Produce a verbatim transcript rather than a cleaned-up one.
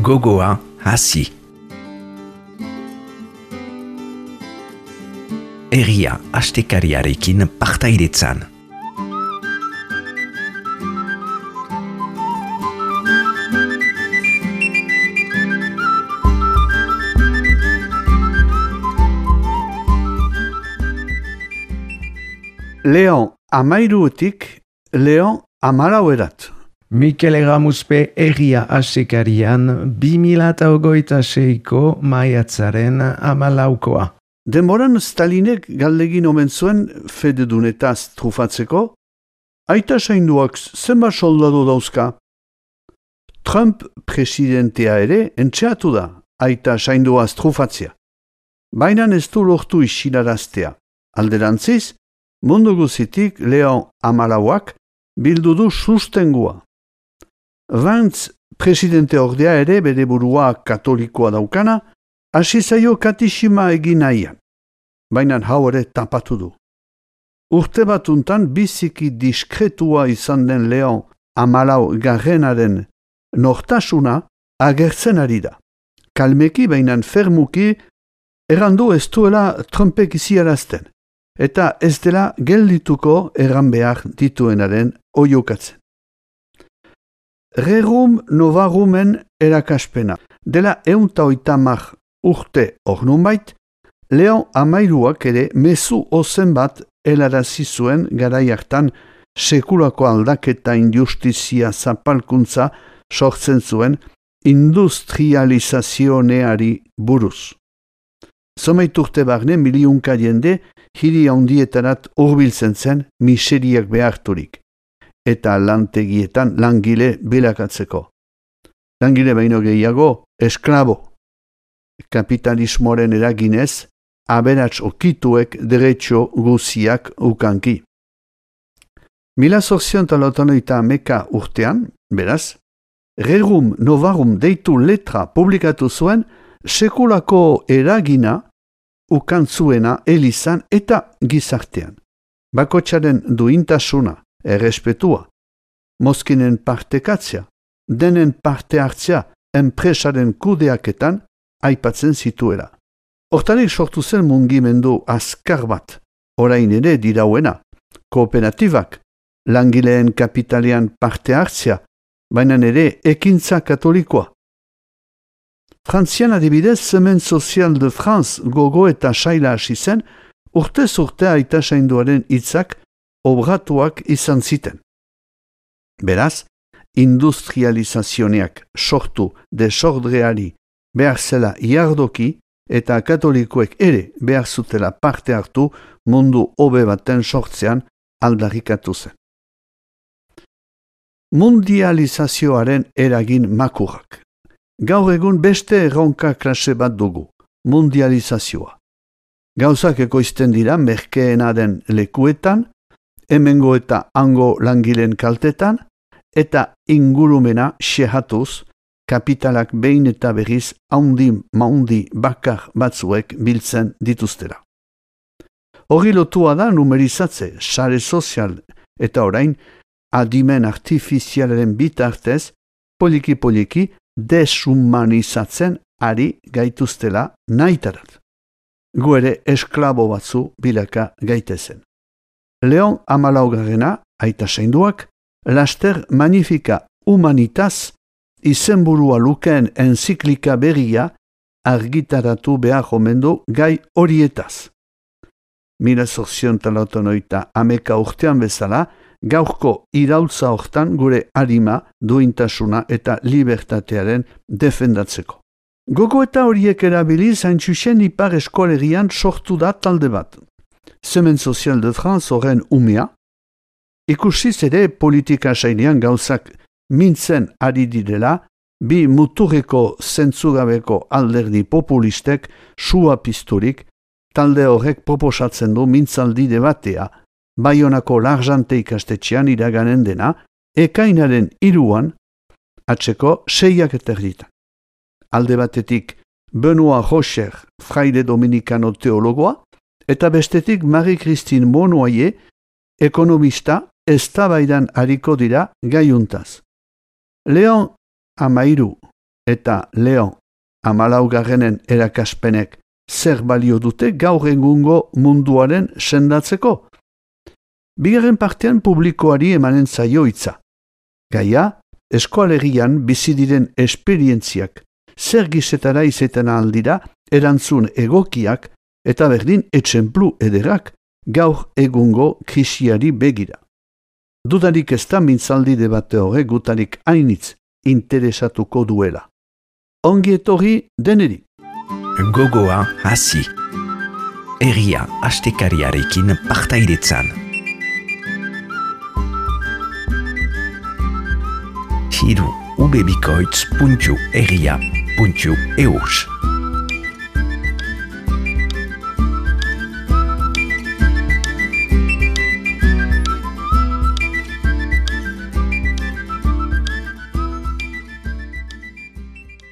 gogoa hasi. Herria astekariarekin partaidetzan. Leon amairuetik Leon amarauerat. Mikel Erramuzpe herria asekarian bi mila eta hogeita seiko maiatzaren amalaukoa. Denboran Stalinek galdegin omen zuen fededunetaz trufatzeko, aita sainduak zenbat soldadu dauzka. Trump presidentea ere entxeatu da, aita sainduaz trufatzea. Baina ez du lortu isilaraztea. Alderantziz, mundu guzitik Leon amalauak bildu du sustengua. Vance presidente ordea ere bere burua katolikoa daukana, hasi zaio katixima egin nahian, baina hau ere tapatu du. Urte batuntan biziki diskretua izan den Leon amalau garrenaren nortasuna agertzen ari da. Kalmeki bainan fermuki errandu ez duela Trumpek iziarazten, eta ez dela geldituko erran behar dituenaren oiokatzen. Rerum novarumen erakaspena. Dela eunta oitamar urte ornunbait, Leon amairuak ere mezu ozen bat helarazi zuen garai hartan sekulako aldaketa injustizia zapalkuntza sortzen zuen industrializazioneari buruz. Zomait urte barne miliunka jende hiri handietarat hurbiltzen zen miseriak beharturik, eta lantegietan langile bilakatzeko. Langile baino gehiago, esklabo. Kapitalismoaren eraginez, aberats okituek derecho guziak ukanki. Mila zorzion talotanoita ameka urtean, beraz, Rerum Novarum deitu letra publikatu zuen sekulako eragina ukantzuena elizan eta gizartean. Bakotsaren duintasuna, errespetua, mozkinen partekatzea, denen parte hartzea enpresaren kudeaketan aipatzen zituela. Hortarik sortu zen mungimendu azkar bat, orain ere dirauena, kooperatibak, langileen kapitalean parte hartzea, baina ere ekintza katolikoa. Frantzian adibidez, Semaine Sociale de France gogo eta saila hasi zen, urtez urte aita sainduaren hitzak obratuak izan ziten. Beraz, industrializazioneak sortu desordreari behar zela iardoki eta katolikoek ere behar zutela parte hartu mundu hobe baten sortzean aldarrikatu zen. Mundializazioaren eragin makurrak. Gaur egun beste erronka klase bat dugu, mundializazioa. Gauzak ekoizten dira merkeena den lekuetan, hemengo eta hango langileen kaltetan, eta ingurumena xehatuz, kapitalak behin eta berriz haundi maundi bakar batzuek biltzen dituztera. Hori lotua da numerizatze, sare sozial eta orain adimen artifizialaren bitartez poliki-poliki deshumanizatzen ari gaituztela nahitarat. Gu ere esklabo batzu bilaka gaitezen. Leon amalaugarrena, aita sainduak, laster Magnifica Humanitas izenburua lukeen enziklika berria argitaratu behar omendu gai horietaz. Mila zorzion talautonoita ameka urtean bezala, gaurko iraultza hortan gure harima, duintasuna eta libertatearen defendatzeko. Gogo eta horiek erabiliz haintxusen ipar eskolegian sortu da talde bat. Semaine Sociale de France horren umea, ikusiz ere politika sailean gauzak mintzen ari direla, bi muturreko zentzugabeko alderdi populistek sua pizturik, talde horrek proposatzen du mintzaldi debatea, Baionako Larjante ikastetxean iraganen dena, ekainaren hiruan, atzeko seiak eterditan. Alde batetik Benoit Rocher, fraile dominikano teologoa, eta bestetik Marie-Christine Monnoyer, ekonomista, eztabaidan hariko dira gaiuntaz. Leon amairu eta Leon hamalaugarrenen erakaspenek zer balio dute gaur egungo munduaren sendatzeko? Bigarren partean publikoari emanen zaio hitza. Gaia, eskoalegian bizi diren esperientziak zer gizetara izaten aldira erantzun egokiak eta berdin etxenplu ederak gaur egungo krisiari begira. Dudarik ez da mintzaldi debate horre gutarik hainitz interesatuko duela. Ongi etorri deneri. Gogoa hasi. Herria astekariarekin partaidetzan. Hiru ubebikoitz puntu herria puntu eus